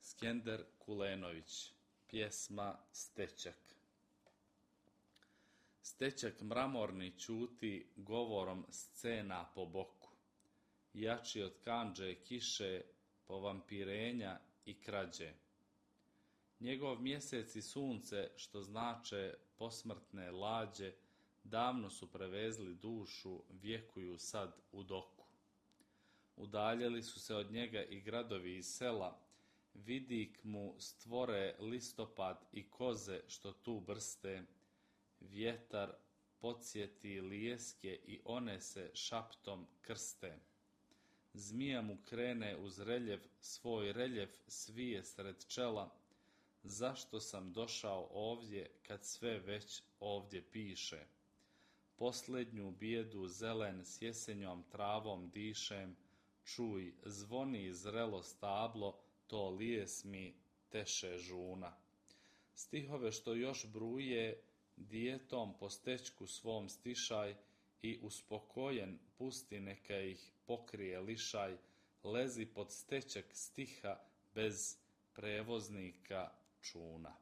Skender Kulenović, pjesma Stečak. Stečak mramorni ćuti govorom scena po boku, jači od kandže kiše, povampirenja i krađe. Njegov mjesec i sunce, što znače posmrtne lađe, davno su prevezli dušu, vjekuju sad u doku. Udaljili su se od njega i gradovi i sela, vidik mu stvore listopad i koze što tu brste, vjetar podsjeti lijeske i one se šaptom krste. Zmija mu krene uz reljev, svoj reljev svije sred čela, zašto sam došao ovdje kad sve već ovdje piše. Posljednju bijedu zelen s jesenjom travom dišem, čuj, zvoni zrelo stablo, to lijes mi teše žuna. Stihove što još bruje, dijetom po stečku svom stišaj i uspokojen pusti neka ih pokrije lišaj, lezi pod stečak stiha bez prevoznika čuna.